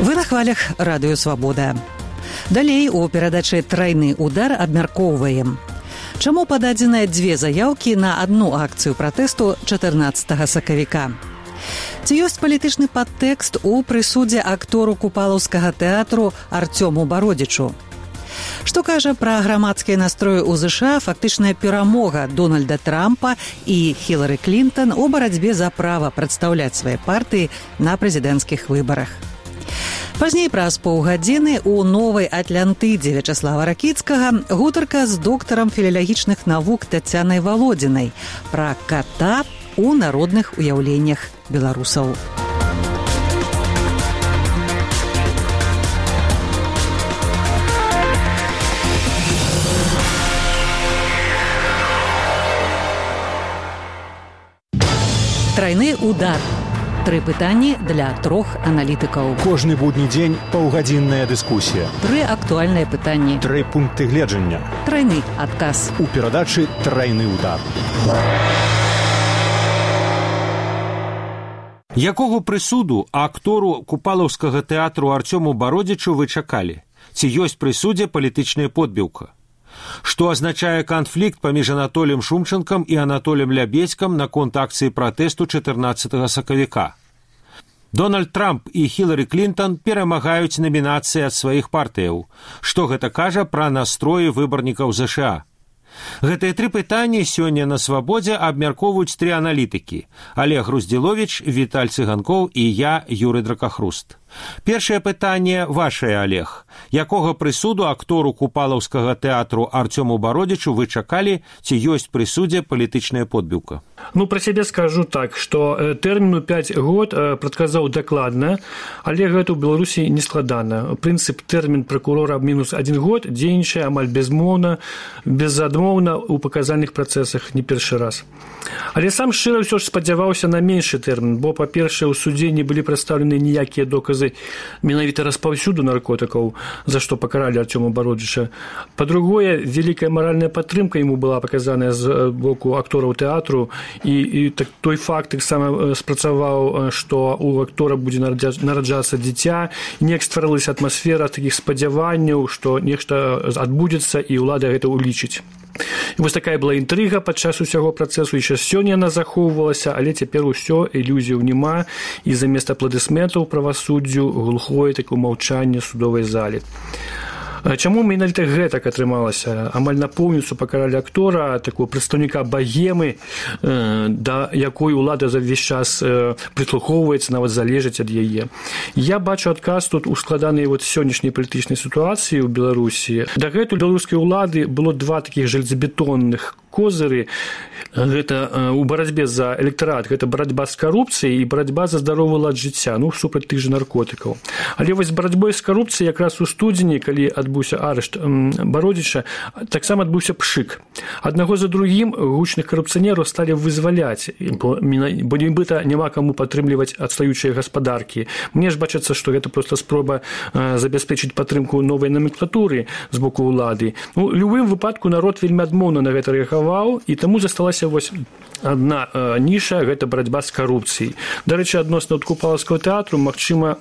Вы на хвалях радыё «Свабода». Далей у перадачы «Трайны удар» абмяркоўваем. Чаму пададзеныя дзве заяўкі на адну акцыю пратэсту 14 сакавіка? Ці ёсць палітычны падтэкст у прысудзе актору купалаўскага тэатру Артёму Бародзічу? Што кажа пра грамадскія настроі ў ЗША фактычная перамога Дональда Трампа і Хілары Клінтон у барацьбе за права прадстаўляць свае партыі на прэзідэнцкіх выбарах? Пазней праз паўгадзіны ў новай Атлантыдзе Вячаслава Ракіцкага гутарка з доктарам філалагічных навук Тацянай Валодзінай пра ката у народных уяўленнях беларусаў. Трайны удар. 3 пытанні для 3 аналітыкаў. Кожны будні дзень паўгадзінная дыскусія. 3 актуальныя пытанні. 3 пункты гледжання. Трайны адказ. У перадачы «Трайны удар». Якога прысуду актору купалаўскага тэатру Артёму Бародзічу вы чакалі? Ці ёсць пры судзе палітычная подбіўка? Што азначае канфлікт паміж Анатоліем Шумчанкам і Анатоліем Лябедзькам наконт акцыі пратэсту 14 сакавіка? Дональд Трамп і Хілары Клінтон перамагаюць намінацыі ад сваіх партыяў. Што гэта кажа пра настроі выбарнікаў ЗША? Гэтыя 3 пытанні сёння на «Свабодзе» абмяркоўваюць 3 аналітыкі: Олег Груздзіловіч, Віталь Цыганкоў і я, Юрый Дракахруст. Першае пытанне вашае, Олег. Якога прысуду актору купалаўскага тэатру Артёму Бародзічу вы чакалі, ці ёсць пры судзе палітычная подбіўка? Про сябе скажу так, што тэрміну 5 год прадказаў дакладна, але гэта ў Беларусі не складана. Прынцып тэрмін пракурора мінус 1 год дзейнічае амаль безмоўна, безадмоўна ў паказальных працэсах не першы раз. Але сам шчыра ўсё ж спадзяваўся на меншы тэрмін, бо, па-першае, у судзе не былі прадстаўлены ніякія доказы менавіта распаўсюду наркотыкаў, за што пакаралі Артёма Бародзіча. Па-другое, вялікая маральная падтрымка яму была паказаная з боку актораў тэатру, і той факт таксама спрацаваў, што у актора будзе нараджацца дзіця, неяк стварылася атмасфера такіх спадзяванняў, што нешта адбудзецца і ўлада гэта ўлічыць. І вось такая была інтрыга падчас усяго працэсу, і сёння яна захоўвалася, але цяпер усё, ілюзіяў няма, і замест апладысментаў правасуддзю глухое такое маўчанне судовай залі. Чаму менавіта гэтак атрымалася? Амаль напоўніцу пакаралі актора, такого прадстаўніка багемы, да якой улада за ўвесь час прыслухоўваецца, нават залежыць ад яе. Я бачу адказ тут у складанай сённяшняй палітычнай сітуацыі ў Беларусі. Дагэтуль беларускай улады было 2 такіх жалезабетонных козыры. Гэта ў барацьбе за электарат, гэта барацьба з карупцыяй і барацьба за здаровы лад жыцця, супраць тых жа наркотыкаў. Але вось з барацьбой з карупцыяй якраз у студзені, калі адбыўся арышт Бародзіча, таксама адбыўся пшык. Аднаго за другім гучных карупцыянераў сталі вызваляць, бо нібыта няма каму падтрымліваць адстаючыя гаспадаркі. Мне ж бачыцца, што гэта проста спроба забяспечыць падтрымку новай номенклатуры з боку ўлады. У любым выпадку народ вельмі адмоўна на гэта рэагаваў, і таму засталася вось адна ніша, гэта барацьба з карупцыяй. Дарэчы, адносна купалаўскага тэатру, магчыма,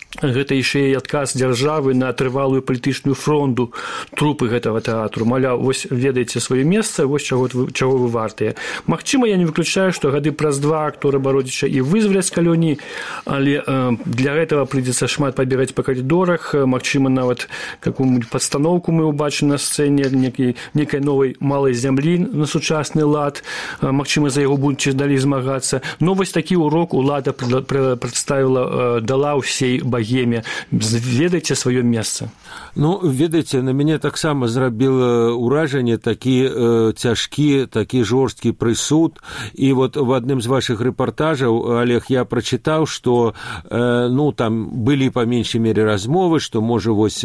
гэта яшчэ і адказ дзяржавы на трывалую палітычную фронту трупы гэтага тэатру. Маляў, вось ведаеце сваё месца, вось чаго вы вартыя. Магчыма, я не выключаю, што гады праз 2 актора Бародзіча і вызваляць з калоніі, але для гэтага прыйдзецца шмат пабегаць па калідорах, магчыма, нават какую-нибудь падстаноўку мы ўбачым на сцэне некай новай малай зямлі на сучасны лад, магчыма, за яго будуць далей змагацца. Но вось такі урок улада прадставіла, дала ўсей багеме. Ведаеце сваё месца? Ведаеце, на мяне таксама зрабіла ўражанне такі цяжкі, такі жорсткі прысуд. І вот в адным з вашых рэпартажаў, Олег, я прачытаў, што там былі па меншай мере размовы, што можа вось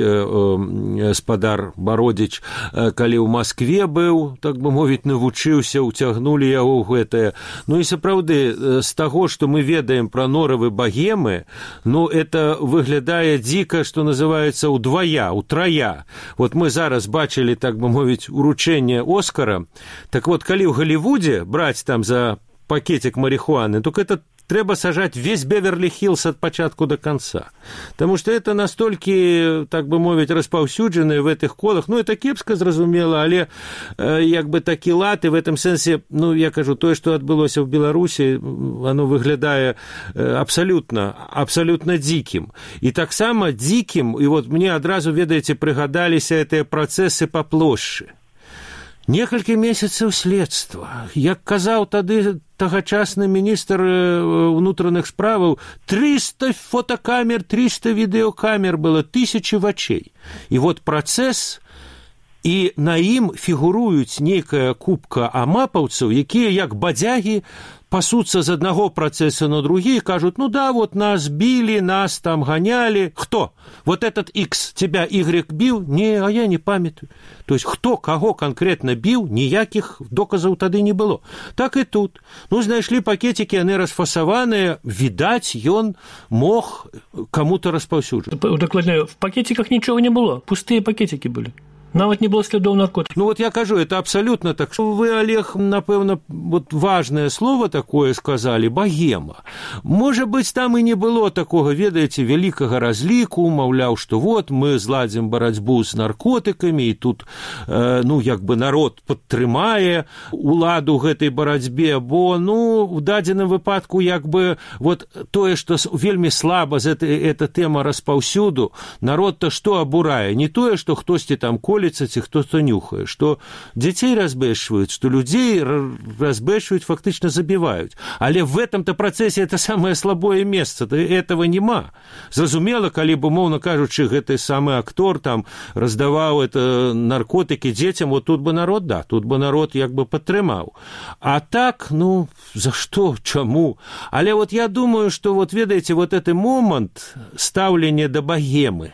спадар Бародзіч, калі ў Маскве быў, так бы мовіць, навучыўся, уцягнулі яго ў гэтае. І сапраўды, з таго, што мы ведаем пра норавы багемы, это выглядае дзіка, што называецца утрая. Вот мы зараз бачылі, так бы мовіць, уручэнне Оскара. Так вот, калі ў Галівудзе браць там за пакетик марихуаны, только это трэба сажаць весь Беверлі-Хіллз ад пачатку до конца. Таму што это настолькі, так бы мовіць, распаўсюджаныя в гэтых колах. Ну, это кепска, зразумела, але як бы такі лад, і в этом сэнсе, ну, я кажу, тое, што адбылося ў Беларусі, оно выглядае абсолютно дзікім. І таксама дзікім, і вот мне адразу, ведаеце, прыгадаліся гэтыя працэсы па плошчы. Некалькі месяцаў следства. Як казаў тады тагачасны міністр унутраных справаў, 300 фотокамер, 300 відэокамер было, 1000 вачэй. І вот працэс, і на ім фігуруюць нейкая купка амапаўцаў, якія як бадзягі пасуцца з аднаго працэса на другі і кажуць, ну да, вот нас били, нас там гоняли. Кто? Вот этот X тебя Y бил? Не, а я не памятаю. То есть, кто кого конкретно бил, ніякіх доказаў тады не было. Так і тут. Ну, знайшлі пакетики, яны расфасаваныя, відаць, ён мог кому-то распаўсюджваць. Дакладняю, в пакетиках ничего не было, пустые пакетики были. Нават не было следов наркотиков. Ну вот я кажу, это абсолютно так. Вы, Олег, напэўна, вот важное слово такое сказали, богема. Может быть, там и не было такого, ведаете, великого разлику, маўляў, что вот мы зладзім барацьбу с наркотиками, и тут, ну, як бы народ падтрымае уладу гэтай барацьбе, бо, ну, в дадзеным выпадку, як бы, вот тое, что вельмі слаба эта тема распаўсюду, народ-то что абурае? Не тое, что хтосьці там колется, ці хто-то нюхае, што дзяцей разбэшваюць, што людзей разбэшваюць, фактычна забіваюць. Але в этом-то працэсе это самое слабое месца, этого нема. Зразумела, калі бы, умоўна кажучы, гэты самы актор там раздаваў это наркотыкі дзецям, вот тут бы народ, да, тут бы народ як бы падтрымаў. А так, ну, за што, чаму? Але вот я думаю, что вот, ведаеце, вот этот момент стаўлення да богемы.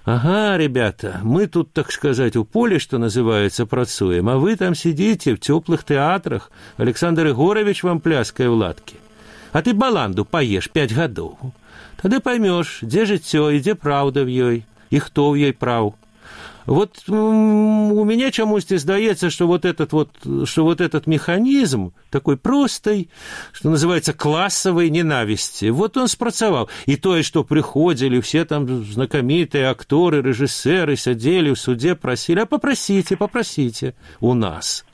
Ага, ребята, мы тут, так сказать, у поле, что называется, працуем, а вы там сидите в теплых театрах, Александр Егорович вам пляскае в ладке. А ты баланду поешь 5 гадоў. Тады поймешь, где жыццё и где правда в ёй, и кто в ёй прав. Вот у меня чамусьці здаецца, что вот этот механизм такой простой, что называется, классовой ненависти, вот он спрацаваў. И тое, что приходили все там знакомитые акторы, режиссеры, сидели в суде, просили, а попросите у нас.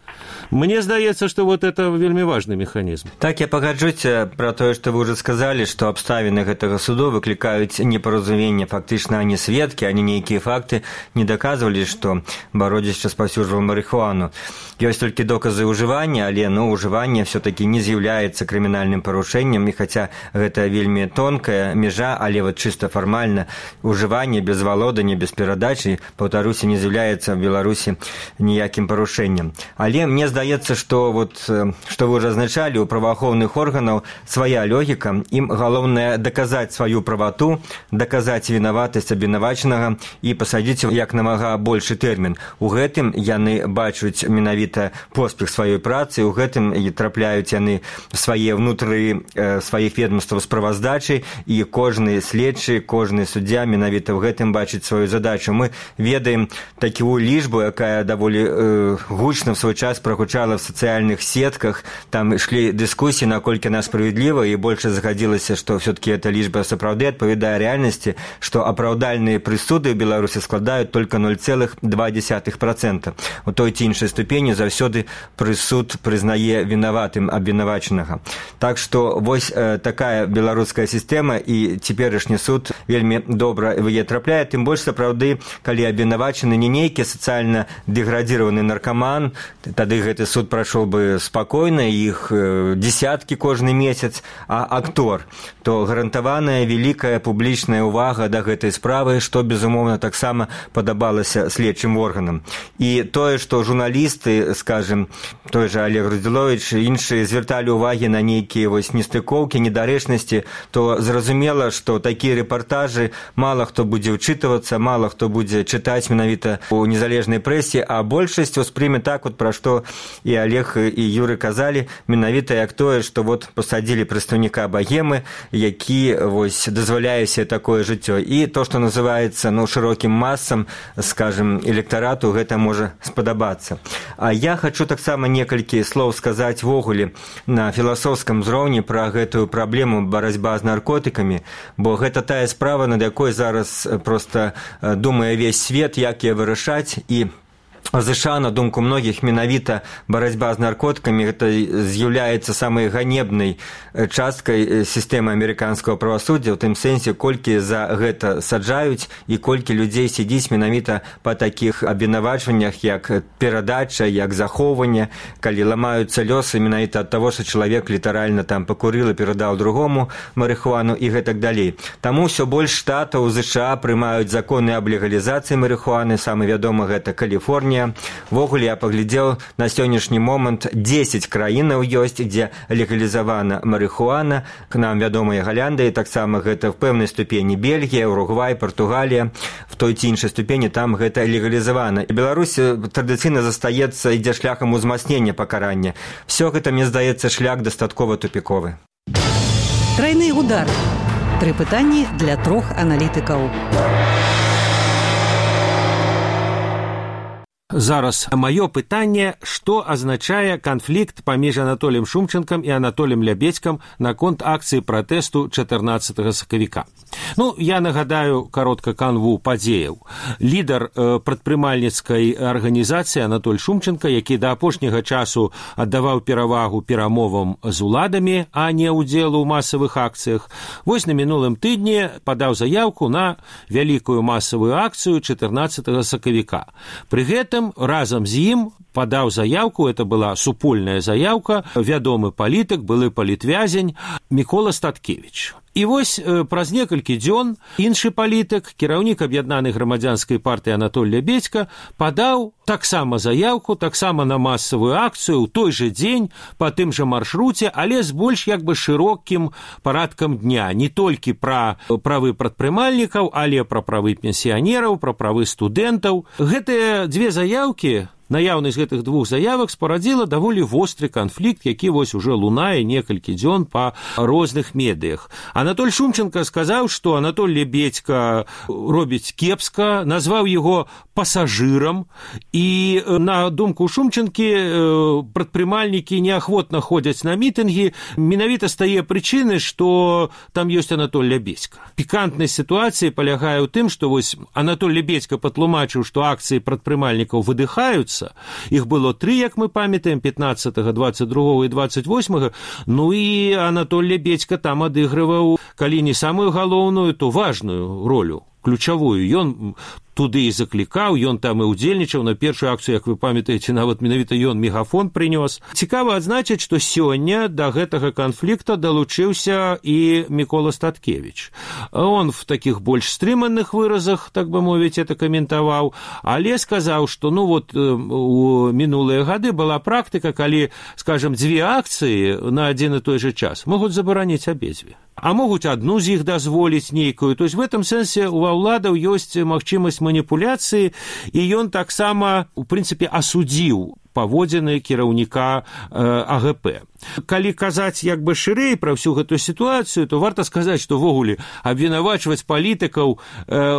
Мне здаецца, што вот это вельмі важны механізм. Так, я пагаджуся пра тое, што вы ўжо сказалі, што абставіны гэтага суду выклікаюць непаразуменне. Фактычна, ані сведкі, ані нейкія факты не даказвалі, што Бародзіч распаўсюджваў марыхуану. Ёсць толькі доказы ўжывання, але ўжыванне все-таки не з'яўляецца крымінальным парушэннем, і хаця гэта вельмі тонкая межа, але вот чыста фармальна ўжыванне без валодання, без перадачы, паўтаруся, не з'яўляецца в Беларусі ніякім парушэннем. Але мне здаецца, што вот, што вы ўжо азначалі, у праваахоўных органаў свая логіка, ім галоўнае даказаць сваю правату, даказаць вінаватасць абвінавачанага і пасадзіць як намага большы тэрмін. У гэтым яны бачуць менавіта поспех сваёй працы, у гэтым і трапляюць яны свае ўнутры сваіх ведомстваў справаздачы, і кожны следчы, кожны суддзя менавіта ў гэтым бачыць сваю задачу. Мы ведаем такую лічбу, якая даволі гучна в свой час прогучала в социальных сетках, там шли дискуссии, наколькі она справедлива, и больше заходилось, что все-таки эта лічба сапраўды адпавядае реальности, что апраўдальныя прысуды в Беларуси складаюць только 0,2%. У той ці іншай ступені заўсёды прысуд прызнае вінаватым абвінавачанага. Так что вось такая беларуская система, и цяперашні суд вельмі добра в яе трапляе, тым больш сапраўды, калі абвінавачаны не нейкі сацыяльна дэградзіраваны наркаман, тады гэты суд прайшоў бы спакойна, іх десяткі кожны месяц, а актор, то гарантаваная вялікая публічная ўвага да гэтай справы, што, безумоўна, таксама падабалася следчым органам. І тое, што журналісты, скажем, той же Олег Радзіловіч, іншыя звярталі ўвагі на нейкія вось нестыкоўкі, недарэчнасці, то зразумела, што такія рэпартажы мала хто будзе ўчытвацца, мала хто будзе чытаць менавіта у незалежнай прэсе, а большасць успрыме так, вот пра што што і Олег і Юры казалі, менавіта як тое, што вот пасадзілі прадстаўніка Багемы, які вось дазваляе себе такое жыццё. І то, што называецца шырокім масам, скажем, электарату, гэта можа спадабацца. А я хочу таксама некалькі слоў сказаць вогуле на філасофскім узроўні пра гэтую праблему барацьба з наркотыкамі, бо гэта тая справа, над якой зараз проста думае увесь свет, як яе вырашаць, і США, на думку многіх, менавіта барацьба з наркотыкамі гэта з'яўляецца самай ганебнай часткай сістэмы амерыканскага правасуддзя, у тым сэнсе, колькі за гэта саджаюць і колькі людзей сядзіць менавіта па такіх абвінавачваннях, як перадача, як захоўванне, калі ламаюцца лёсы менавіта ад таго, што чалавек літаральна там пакурыў і перадаў другому марыхуану і гэтак далей. Таму ўсё больш штатаў США прымаюць законы аб легалізацыі марыхуаны, самы вядомы гэта Каліфорнія. Вогуле я паглядзеў, на сённяшні момант 10 краінаў ёсць, дзе легалізавана марыхуана. К нам вядомая Галяндыя, таксама гэта в пэўнай ступені Бельгія, Уругвай, Партугалія, в той ці іншай ступені там гэта легалізавана. І Беларусь традыцыйна застаецца, ідзе шляхам узмацнення пакарання. Всё гэта, мне здаецца, шлях дастаткова тупіковы. Тройны удар. 3 пытанні для 3 аналітыкаў. Зараз маё пытанне, што азначае канфлікт паміж Анатоліем Шумчанкам і Анатоліем Лябедзькам наконт акцыі пратэсту 14 сакавіка. Я нагадаю каротка канву падзеяў. Лідар прадпрымальніцкай арганізацыі Анатоль Шумчанка, які да апошняга часу аддаваў перавагу перамовам з уладамі, а не ўдзелу ў масавых акцыях, вось на мінулым тыдні падаў заяўку на вялікую масавую акцыю 14 сакавіка. Пры гэтым разам з ім падаў заяўку, это была супольная заяўка, вядомы палітык, былы палітвязень Мікола Статкевіч. І вось праз некалькі дзён іншы палітык, кіраўнік аб'яднанай грамадзянскай партыі Анатоль Лябедзька, падаў таксама заяўку, таксама на масавую акцыю ў той жа дзень па тым жа маршруце, але з больш шырокім парадкам дня. Не толькі пра правы прадпрымальнікаў, але пра правы пенсіянераў, пра правы студэнтаў. Гэтыя дзве заяўкі, наяўнасць гэтых двух заявак спарадзіла даволі востры канфлікт, які вось уже лунае некалькі дзён па розных медыях. Анатоль Шумчанка сказаў, што Анатоль Лябедзька робіць кепска, назваў яго пасажырам, і на думку Шумчанкі прадпрымальнікі неахвотна ходзяць на мітынгі менавіта з тае прычыны, што там ёсць Анатоль Лябедзька. Пікантнасць сітуацыі палягае ў тым, што вось Анатоль Лябедзька патлумачыў, што акцыі прадпрымальнікаў выдыхаюцца. Іх было 3, як мы памятаем, 15, 22 і 28. І Анатоль Лябедзька там адыгрываў, калі не самую галоўную, то важную ролю, ключавую. Ён туды і заклікаў, ён там і ўдзельнічаў на першую акцыю, як вы памятаеце, нават менавіта ён мегафон прынёс. Цікава адзначыць, што сёння да гэтага канфлікта далучыўся і Мікола Статкевіч. Он в такіх больш стрыманых выразах, так бы мовіць, это каментаваў, але сказаў, што у мінулыя гады была практыка, калі, скажем, 2 акцыі на адзін і той жа час могуць забараніць абедзве. А могуць адну з іх дазволіць нейкую. То есть в этом сэнсе у ўладаў ёсць магчымасць маніпуляцыі, і ён таксама, у прынцыпе, асудзіў паводзіны кіраўніка АГП. Калі казаць шырэй пра ўсю гэтую сітуацыю, то варта сказаць, што ввогуле абвінавачваць палітыкаў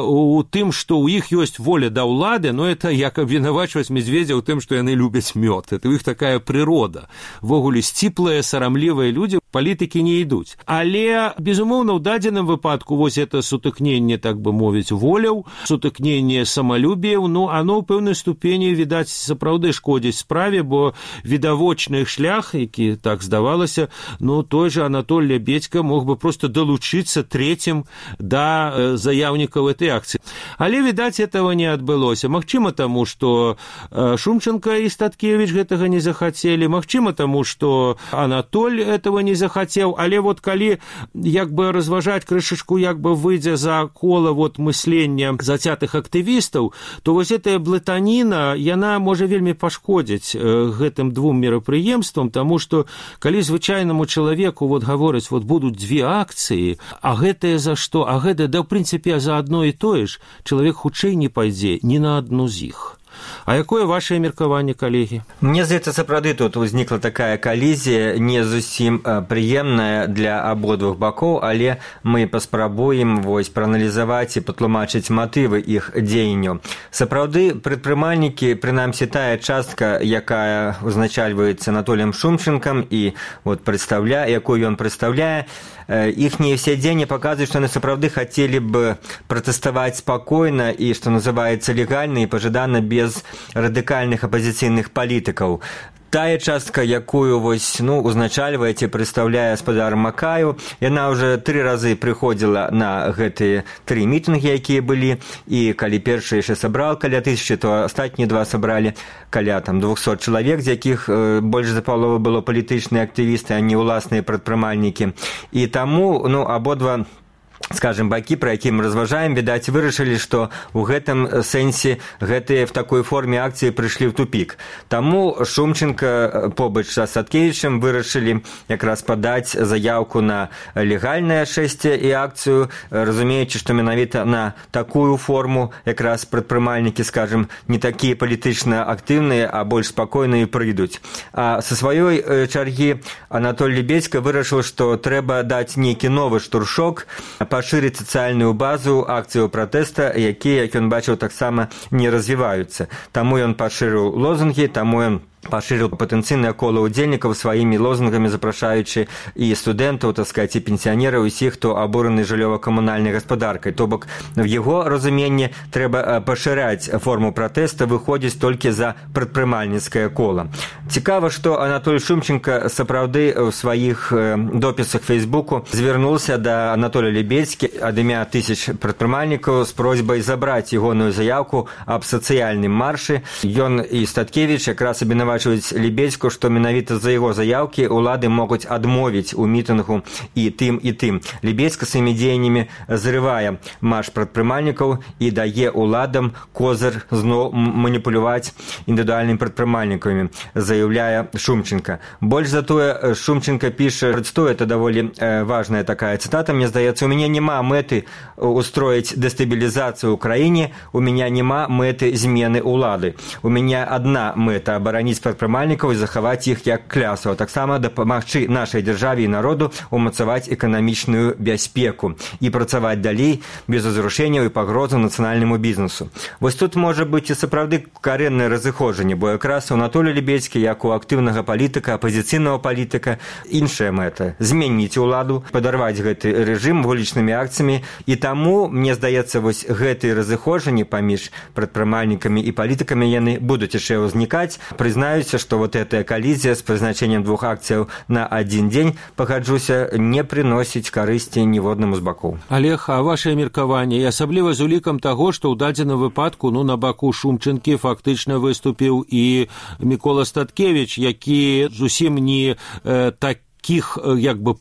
у тым, што ў іх ёсць воля да ўлады, это як абвінавачваць медведзя ў тым, што яны любяць мёд. Это ў іх такая прырода. Ввогуле сціплыя, сарамлівыя людзі палітыкі не ідуць. Але, безумоўна, ў дадзеным выпадку вось это сутыкненне, так бы мовіць, воляў, сутыкненне самалюбіяў, оно ў пэўнай ступені, відаць, сапраўды шкодзіць справе, бо відавочны шлях, які так здавалася, той же Анатоль Лябедзька мог бы просто далучыцца трэцім да заяўнікаў этой акцыі. Але, відаць, этого не адбылося. Магчыма, таму, што Шумчанка і Статкевіч гэтага не захацелі, магчыма, таму, што Анатоль этого не захацеў, але калі разважаць крышачку, выйдзе за кола мыслення зацятых актывістаў, то вось гэтая блытаніна, яна можа вельмі пашкодзіць гэтым 2 мерапрыемствам, таму што калі звычайнаму чалавеку гавораць, будуць 2 акцыі, а гэтае за што? А гэта, в прынцыпе, за адно і тое ж, чалавек хутчэй не пайдзе ні на адну з іх. А якое ваше меркаванне, калегі? Мне здаецца, сапраўды тут узнікла такая калізія, не зусім прыемная для абодвух бакоў, але мы паспрабуем прааналізаваць і патлумачыць матывы іх дзеянняў. Сапраўды, прадпрымальнікі, прынамсі тая частка, якая узначальваецца Анатоліем Шумчэнкам і якую ён прадстаўляе, іхнія все дзеянні паказваюць, што яны сапраўды хацелі б пратэставаць спакойна і, што называецца, легальна і пажадана без радыкальных апазіцыйных палітыкаў. Тая частка, якую узначальвае ці прадстаўляе гаспадар Макаю, яна ўжо 3 разы прыходзіла на гэтыя 3 мітынгі, якія былі, і калі першы яшчэ сабраў каля 1000, то астатнія 2 сабралі каля 200 чалавек, з якіх больш за паловы было палітычныя актывісты, а не ўласныя прадпрымальнікі. І таму абодва, скажем, бакі, пра які мы разважаем, відаць, вырашылі, што ў гэтым сэнсе гэтыя в такой форме акцыі прыйшлі ў тупік. Таму Шумчэнка побач са Саткевічам вырашылі якраз падаць заяўку на легальнае шэсце і акцыю, разумеючы, што менавіта на такую форму якраз прадпрымальнікі, скажем, не такія палітычна актыўныя, а больш спакойныя прыйдуць. А са сваёй чаргі Анатоль Лебедзька вырашыў, што трэба даць нейкі новы штуршок, пашырыць сацыяльную базу акцыяў пратэста, якія, як ён бачыў, таксама не развіваюцца. Таму ён пашырыў лозунгі, таму ён пашырыў патэнцыйнае кола ўдзельнікаў сваімі лозунгамі, запрашаючы і студэнтаў, і пенсіянераў, усіх, хто абураны жыллёва-камунальнай гаспадаркай. То бок, в яго разуменні трэба пашыраць форму пратэста, выходзіць толькі за прадпрымальніцкае кола. Цікава, што Анатоль Шумчэнка сапраўды ў сваіх допісах Фейсбуку звярнуўся да Анатоля Лебедзькі ад імя 1000 прадпрымальнікаў з просьбай забраць ягоную заяўку аб сацыяльным маршы. Ён і Статкевіч якраз абвінавачваюць Лебедзьку, што менавіта за яго заяўкі ўлады могуць адмовіць у мітынгу і тым, і тым. Лебедзька сваімі дзеяннямі зрывае марш прадпрымальнікаў і дае ўладам козыр зноў маніпуляваць індывідуальнымі прадпрымальнікамі, заяўляе Шумчэнка. Больш за тое, Шумчэнка піша, это даволі важная такая цытата, мне здаецца, у мяне няма мэты устроіць дэстабілізацыю ў краіне, у мяне няма мэты змены ўлады. У мяне адна мэта — абараніць прадпрымальнікаў і захаваць іх як клясаў, таксама дапамагчы нашай дзяржаве і народу умацаваць эканамічную бяспеку і працаваць далей без узрушэнняў і пагрозаў нацыянальнаму бізнесу. Вось тут можа быць і сапраўды карэннае разыходжанне, бо якраз у Анатолія Лебедзькі, як у актыўнага палітыка, апазіцыйнага палітыка, іншая мэта — зменіць уладу, падарваць гэты рэжым вулічнымі акцыямі. І таму, мне здаецца, вось гэтыя разыходжанні паміж прадпрымальнікамі і палітыкамі яны будуць яшчэ ўзнікаць. Прызнаюся, што гэтая калізія з прызначэннем 2 акцыяў на адзін дзень, пагаджуся, не прыносіць карысці ніводнаму з бакоў. Олег, а ваше меркаванне, і асабліва з улікам таго, што ў дадзеным выпадку на баку Шумчэнкі фактычна выступіў і Мікола Статкевіч, які зусім не такіх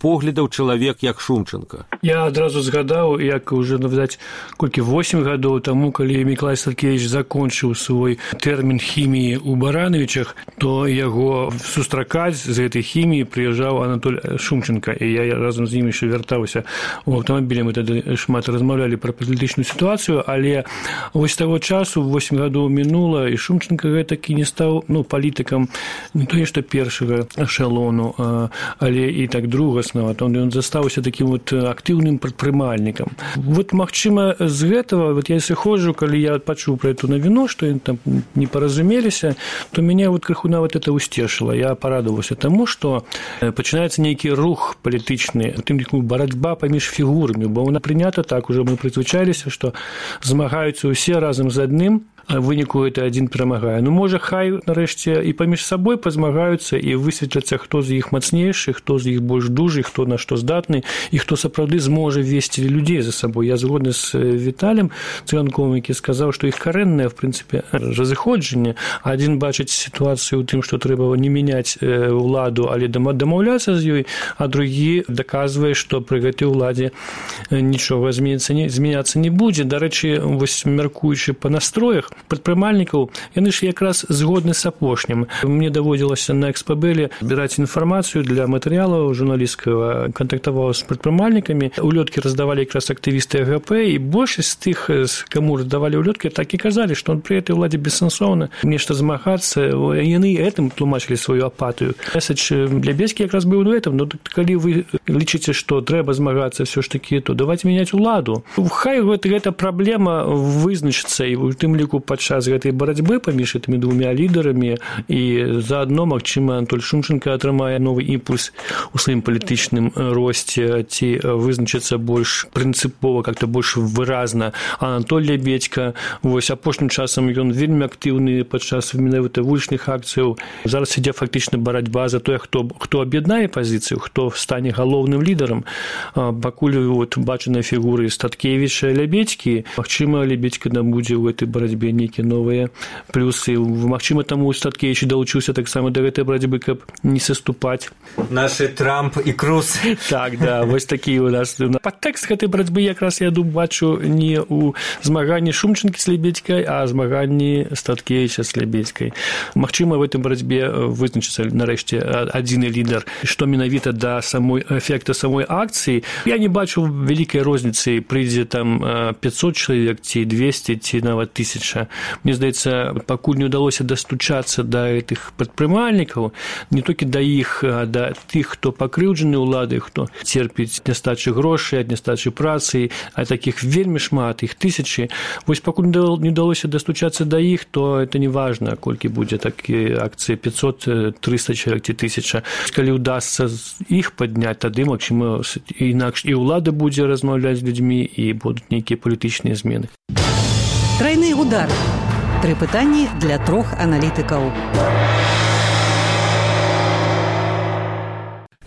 поглядаў чалавек, як Шумчэнка. Я адразу згадаў, як уже, відаць, колькі 8 гадоў таму, калі Мікалай Статкевіч закончыў свой тэрмін хіміі ў Барановичах, то яго сустракаць з гэтай хіміі прыязджаў Анатоль Шумчэнка, і я разам з ім яшчэ вяртаўся ў аўтамабілі. Мы тады шмат размаўлялі пра палітычную сітуацыю, але вось таго часу 8 гадоў мінула, і Шумчэнка гэтакі не стаў палітыкам не тое што першага эшалону, але і так другаснага. Ён застаўся такім актыўным прадпрымальнікам. Магчыма, з гэтага, я сыходжу, калі я пачуў пра эту навіну, што яны там не паразумеліся, то мяне крыху нават это усцешыла. Я парадаваўся таму, што пачынаецца нейкі рух палітычны, тым ліку барацьба паміж фігурамі, бо вона прынята так, ужо мы прызвычаліся, што змагаюцца ўсе разам з адным, а в выніку это адзін перамагае. Можа, хай нарэшце і паміж сабой пазмагаюцца і высветляцца, хто з іх мацнейшы, хто з іх больш дужы, хто на што здатны і хто сапраўды зможа весці людзей за сабой. Я згодны з Віталем Цыганковым, які сказаў, што іх карэннае, в прынцыпе, разыходжанне. Адзін бачыць сітуацыю ў тым, што трэба не мяняць уладу, але дамаўляцца з ёй, а другі даказвае, што пры гэтай уладзе нічога змяняцца не будзе. Дарэчы, вось мяркуючы па настроях, прадпрымальнікаў, яны ж якраз згодны з апошнім. Мне даводзілася на Экспабеле збіраць інфармацыю для матэрыялаў журналісцкага, кантактаваў з прадпрымальнікамі. Улёткі раздавалі якраз актывісты АГП, і большасць з тых, каму раздавалі улёткі, так і казалі, што пры этой уладзе бессэнсоўна нешта змагацца. Яны гэтым тлумачылі сваю апатыю. Месседж Лябедзькі якраз быў у гэтым. Ну, калі вы лічыце, што трэба змагацца ўсё ж такі, то давайте мяняць уладу. Хай гэта праблема вызначыцца, і у тым ліку падчас гэтай барацьбы паміж гэтымі двумя лідарамі, і заадно, магчыма, Анатоль Шумченко атрымае новы імпульс у сваім палітычным росце, ці вызначыцца больш прынцыпова, как-то больш выразна Анатоль Лябедзька. Вось апошнім часам ён вельмі актыўны падчас менавіта вулічных акцыяў. Зараз ідзе фактычна барацьба за тое, хто аб'яднае пазіцыю, хто стане галоўным лідарам. Пакуль бачаныя фігуры Статкевіча, Лябедзькі, магчыма, Лябедзька набудзе ў гэтай барацьбе нейкія новыя плюсы. Магчыма, таму Статкевіч далучыўся таксама да гэтай барацьбы, каб не саступаць. Нашы Трамп і Круз. Так, да, вось такі у нас. Падтэкст гэтай барацьбы якраз я бачу не ў змаганні Шумченкі з Лябедзькай, а змаганні Статкевіча з Лябедзькай. Магчыма, в этой барацьбе вызначыцца нарэшце адзіны лідар. Што менавіта да эфекта самой акцыі, я не бачу вялікай розніцы, прыйдзе там 500 чалавек, ці 200, ці нават 1000. Мне здаецца, пакуль не ўдалося дастучацца да гэтых прадпрымальнікаў, не толькі да іх, а да тых, хто пакрыўджаны ўладай, хто церпіць нястачы грошай, ад нястачы працы, а такіх вельмі шмат, іх тысячы. Вось пакуль не ўдалося дастучацца да іх, то это не важна, колькі будзе такія акцыі, 500, 300 чалавек ці 1000. Калі ўдасца іх падняць, тады, магчыма, інакш і ўлада будзе размаўляць з людзьмі, і будуць нейкія палітычныя змены. Тройны удар. 3 пытанні для 3 аналітыкаў.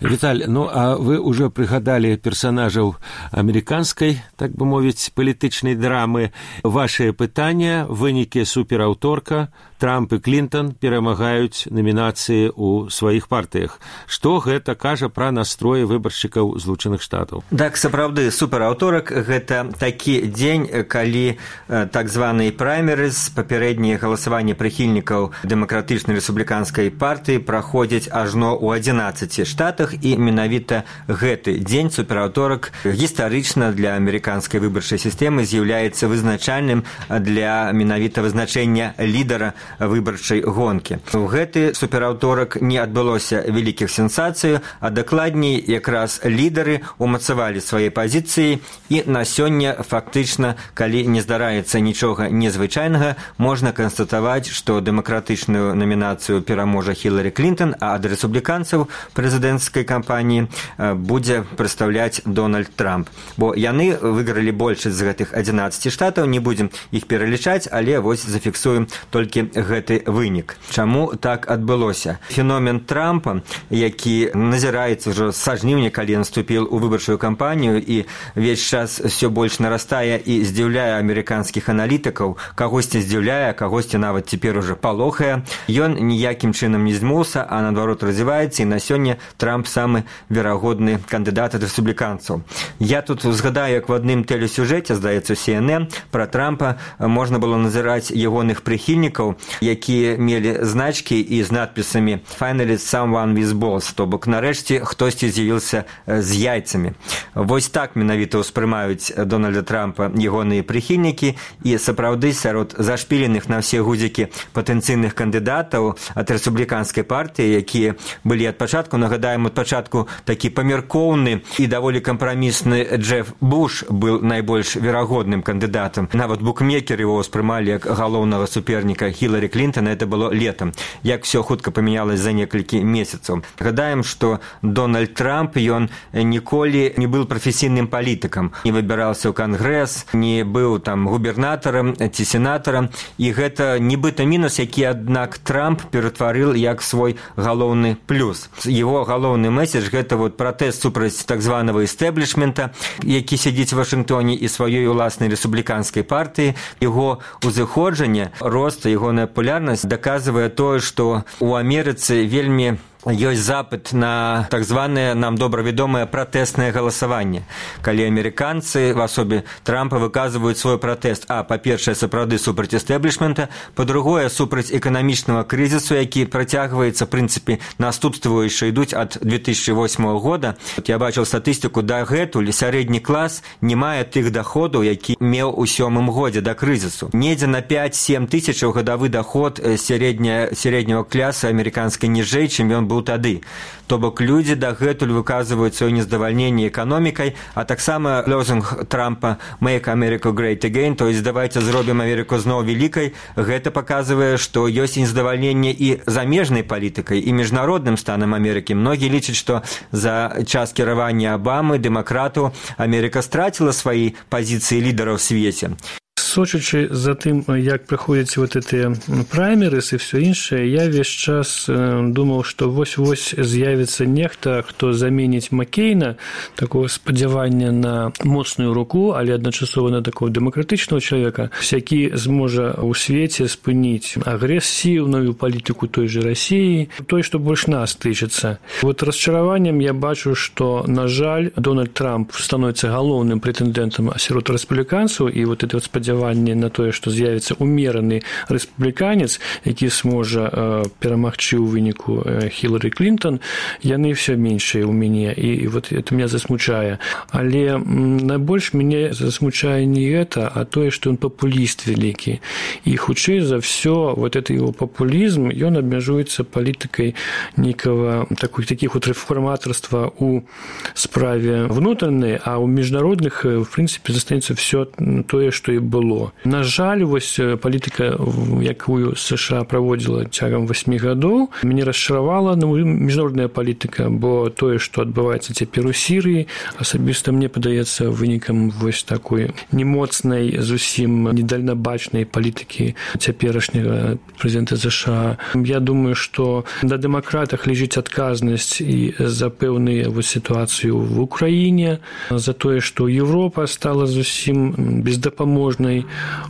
Віталь, ну а вы уже прыгадалі персанажаў амерыканскай, так бы мовіць, палітычнай драмы. Вашыя пытання, вынікі супераўторка, Трамп і Клінтон перамагаюць намінацыі ў сваіх партыях. Што гэта кажа пра настроі выбаршчыкаў Злучаных Штатаў? Так, сапраўды, супераўторак – гэта такі дзень, калі так званыя праймерыз, папярэднія галасаванні прыхільнікаў дэмакратычнай рэспубліканскай партыі праходзяць ажно ў 11 штатах, і менавіта гэты дзень, супераўторак, гістарычна для амерыканскай выбарчай сістэмы з'яўляецца вызначальным для менавіта вызначэння лідара выбарчай гонкі. У гэты супераўторак не адбылося вялікіх сенсацый, а дакладней якраз лідары умацавалі свае пазіцыі, і на сёння фактычна, калі не здараецца нічога незвычайнага, можна канстатаваць, што дэмакратычную намінацыю пераможа Хілары Клінтон, а ад рэспубліканцаў прэзідэнцкай кампаніі будзе прадстаўляць Дональд Трамп. Бо яны выйгралі большасць з гэтых 11 штатаў, не будзем іх пералічаць, але вось зафіксуем толькі гэты вынік. Чаму так адбылося? Феномен Трампа, які назіраецца ўжо са жніўня, калі ён вступіў у выбарчую кампанію, і ўвесь час все больш нарастае і здзіўляе амерыканскіх аналітыкаў, кагосьці здзіўляе, кагосьці нават цяпер уже палохае. Ён ніякім чынам не змуўся, а наадварот развіваецца, і на сёння Трамп самы верагодны кандыдат ад рэспубліканцаў. Я тут згадаю, як в адным тэлесюжэце, здаецца, CNN, пра Трампа можна было назіраць ягоных прыхільнікаў, якія мелі значкі і з надпісамі «Finally someone with balls», то бок нарэшце хтосьці з'явіўся з яйцамі. Вось так менавіта ўспрымаюць Дональда Трампа ягоныя прыхільнікі, і сапраўды сярод зашпіленых на ўсе гузікі патэнцыйных кандыдатаў ад рэспубліканскай партыі, якія былі ад пачатку, нагадаем, ад пачатку такі памяркоўны і даволі кампрамісны Джеф Буш быў найбольш верагодным кандыдатам. Нават букмекеры его ўспрымалі як галоўнага суперніка Хілары Клінтона, это было летом. Як все хутка памянялось за некалькі месяцаў. Гадаем, што Дональд Трамп, ён ніколі не быў прафесійным палітыкам, не выбіраўся ў кангрэс, не быў там губернатарам ці сенатарам, і гэта нібыта мінус, які, аднак, Трамп ператварыў як свой галоўны плюс. Его галоўны месседж – гэта вот пратэст супраць так званага эстэблішмента, які сядзіць у Вашынгтоне і сваёй уласнай рэспубліканскай партыі. Яго узыходжанне, рост, ягоная папулярнасць даказвае тое, што у Амерыцы вельмі ёсць запыт на так званае нам добра вядомае пратэснае галасаванне, калі амерыканцы в асобе Трампа выказваюць свой пратэст, па-першае, сапраўды супраць эстэблішмента, па-другое, супраць эканамічнага крызісу, які працягваецца, в прынцыпе, наступствы яшчэ ідуць ад 2008 года. Я бачыў статыстыку, дагэтуль сярэдні клас не мае тых доходаў, які меў у 7 годзе да крызісу. Недзе на 5-7 тысячаў гадавы доход сярэдняга класа амерыканскай ніжэй, чым ён быў тады. То бок людзі дагэтуль выказваюць сваё нездавальненне эканомікай, а таксама лозунг Трампа «Make America Great Again», то есть «давайте зробім Амерыку зноў вялікай», гэта паказвае, што ёсць нездавальненне і замежнай палітыкай, і міжнародным станам Амерыкі. Многія лічаць, што за час кіравання Абамы, дэмакратаў, Амерыка страціла свае пазіцыі лідара ў свеце. Сочачы за тым, як праходзяць вот гэтыя праймерыс і все іншае, я весь час думаў, што вось-вось з'явіцца нехта, хто заменіць Маккейна, такого спадзявання на моцную руку, але адначасова на такого дэмакратычнага чалавека, які зможа ў свеце спыніць агрэсіўную палітыку той же Расіі, той, што больш нас тычыцца. Вот расчараваннем я бачу, што, на жаль, Дональд Трамп становіцца галоўным прэтэндэнтам сярод рэспубліканцаў, і вот это вот спадзяванне на тое, што з'явіцца умераны рэспубліканец, які зможа перамагчы ў выніку Хілары Клінтон, яны все меншыя ў мяне, і вот это меня засмучае. Але найбольш мяне засмучае не гэта, а тое, што ён папуліст вялікі. І хутчэй за все, вот это его популізм, ён абмяжуецца палітыкай нейкага такіх вот рэформатарства ў справе внутреннай, а ў міжнародных, в прынцыпе, застанецца все тое, што і было. На жаль, вось палітыка, якую США праводзіла цягам 8 гадоў, мяне расчаравала міжнародная палітыка, бо тое, што адбываецца цяпер у Сірыі, асабіста мне падаецца вынікам вось такой немоцнай, зусім недальнабачнай палітыкі цяперашняга прэзідэнта США. Я думаю, што на дэмакратах ляжыць адказнасць і за пэўную сітуацыю в Украіне, за тое, што Еўропа стала зусім бездапаможнай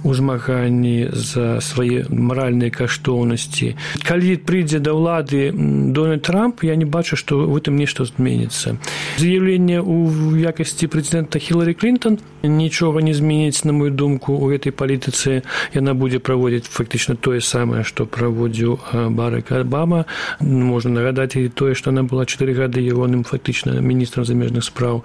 у змаганні за свае маральныя каштоўнасці. Калі прыйдзе да ўлады Дональд Трамп, я не бачу, што в этом нешта зменіцца. З'яўленне ў якасці прэзідэнта Хілары Клінтон нічога не зменіць, на мою думку, у гэтай палітыцы. Яна будзе праводзіць фактычна тое самае, што праводзіў Барак Абама. Можна нагадаць і тое, што она была 4 гады ягоным фактычна міністрам замежных спраў.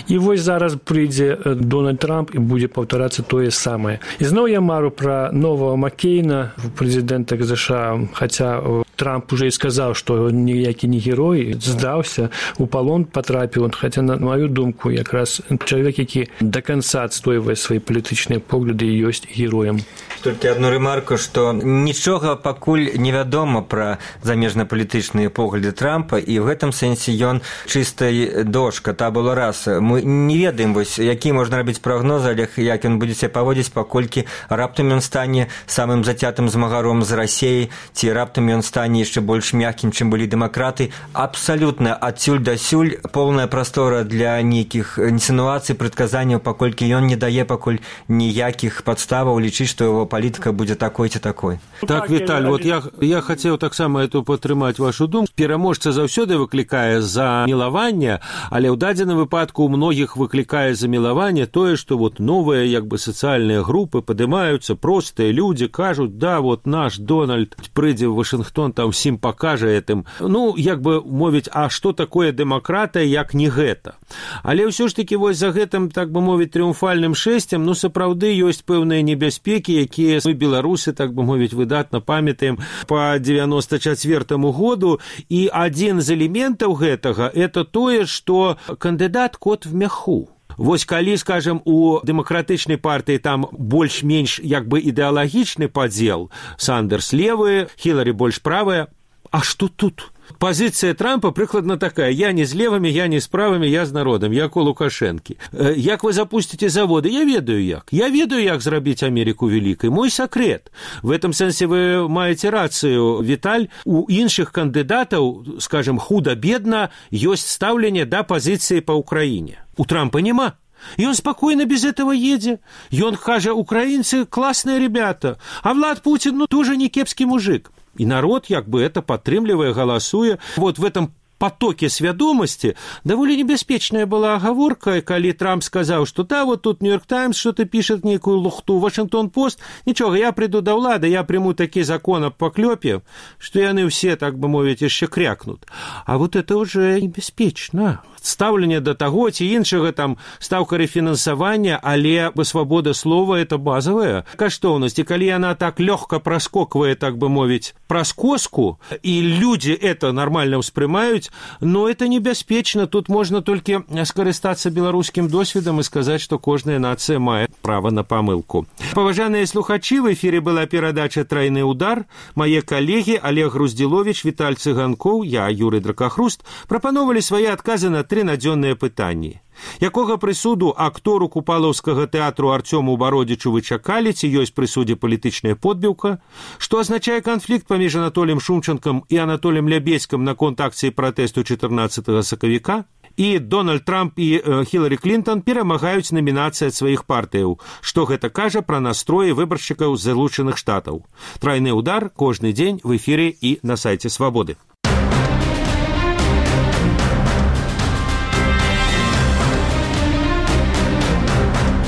І вось зараз прыйдзе Дональд Трамп і будзе паўтарацца тое самае. І зноў я мару пра нового Маккейна, прэзідэнта США, хаця Трамп уже і сказаў, што ніякі не герой, здаўся, у палон патрапіў, хаця, на маю думку, якраз чалавек, які да канца адстойвае свае палітычныя погляды і ёсць героем. Толькі адну ремарку, што нічога пакуль невядома пра замежна-палітычныя погляды Трампа, і ў гэтым сэнсе ён чыстай дошка, табула раса. Мы не ведаем, вось, які можна рабіць прагноз, але як ён будзе себя паводзіць, паколькі раптам ён стане самым зацятым змагаром з Расіяй, ці раптам ён стане яшчэ больш мяккім, чым былі дэмакраты. Абсалютна адсюль дасюль поўная прастора для нейкіх інсінуацый, прадказанняў, паколькі ён не дае пакуль ніякіх падставаў лічыць, што яго палітыка будзе такой ці такой. Так, Віталь, вот я хацеў таксама эту падтрымаць вашу думку. Пераможца заўсёды выклікае за мілаванне, але ў дадзеным выпадку у многіх выклікае за мілаванне тое, што вот новыя як бы сацыяльныя групы падымаюцца, простыя людзі кажуць, да, вот наш Дональд прыйдзе ў Вашынгтон, там всім пакажа гэтым. Ну, як бы мовіць, а што такое дэмакратыя, як не гэта? Але ўсё ж такі вось за гэтым, так бы мовіць, трыумфальным шэсцем, ну, сапраўды ёсць пэўныя небяспекі, якія мы, беларусы, так бы мовіць, выдатна памятаем па 94-му году, і адзін з элементаў гэтага – это тое, што кандыдат кот в мяху. Вось калі, скажем, у дэмакратычнай партыі там больш-менш як бы ідэалагічны падзел, Сандерс левы, Хілары больш правая, а што тут? Пазіцыя Трампа прыкладна такая: я не з левымі, я не з правымі, я з народам, як у Лукашэнкі. Як вы запусціце заводы? Я ведаю як. Я ведаю, як зрабіць Амерыку вялікай. Мой сакрэт. В этом сэнсе вы маеце рацыю, Віталь. У іншых кандыдатаў, скажем, худа-бедна, ёсць стаўленне да пазіцыі па Украіне. У Трампа няма. И он спокойно без этого едет. И он кажа, украинцы классные ребята, а Влад Путин, ну, тоже не кепский мужик. І народ як бы это падтрымлівае, галасуе. Вот в этом потоке свядомасці даволі небяспечная была агаворка, калі Трамп сказаў, што да, вот тут Нью-Йорк Таймс что-то пішет нейкую лухту, Вашингтон-Пост, нічога, я прыйду да ўлады, я прыму такі закон аб паклёпе, што яны ўсе, так бы мовіць, яшчэ крякнут. А вот это уже небяспечна. Стаўленне да таго ці іншага, там, стаўка рэфінансавання, але свабода слова – это базавая каштоўнасць. І калі яна так лёгка праскоквае, так бы мовіць, праз коску, і людзі это нармальна ўспрымаюць, но это небяспечна. Тут можна толькі скарыстацца беларускім досведам і сказаць, што кожная нацыя мае права на памылку. Паважаныя слухачы, в эфіры была перадача «Трайны удар». Мае калегі Олег Груздзіловіч, Віталь Цыганкоў, я, Юрый Дракахруст, прапановалі свае адказы на 3 надзённыя пытанні. Якога прысуду актору купалаўскага тэатру Арцёму Бародзічу вы чакалі, ці ёсць пры судзе палітычная подбіўка? Што азначае канфлікт паміж Анатоліем Шумчанкам і Анатоліем Лябедзькім наконт акцыі пратэсту 14 сакавіка? І Дональд Трамп і Хіларі Клінтон перамагаюць намінацыі ад сваіх партыяў. Што гэта кажа пра настроі выбаршчыкаў з Злучаных Штатаў? Трайны удар кожны дзень в эфіры і на сайце Свабоды.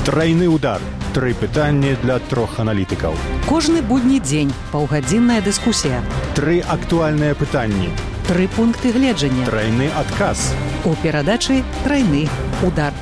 Трайны удар. 3 пытанні для 3 аналітыкаў. Кожны будні дзень паўгадзінная дыскусія. 3 актуальныя пытанні. 3 пункты гледжання. Трайны адказ. У перадачы «Трайны удар».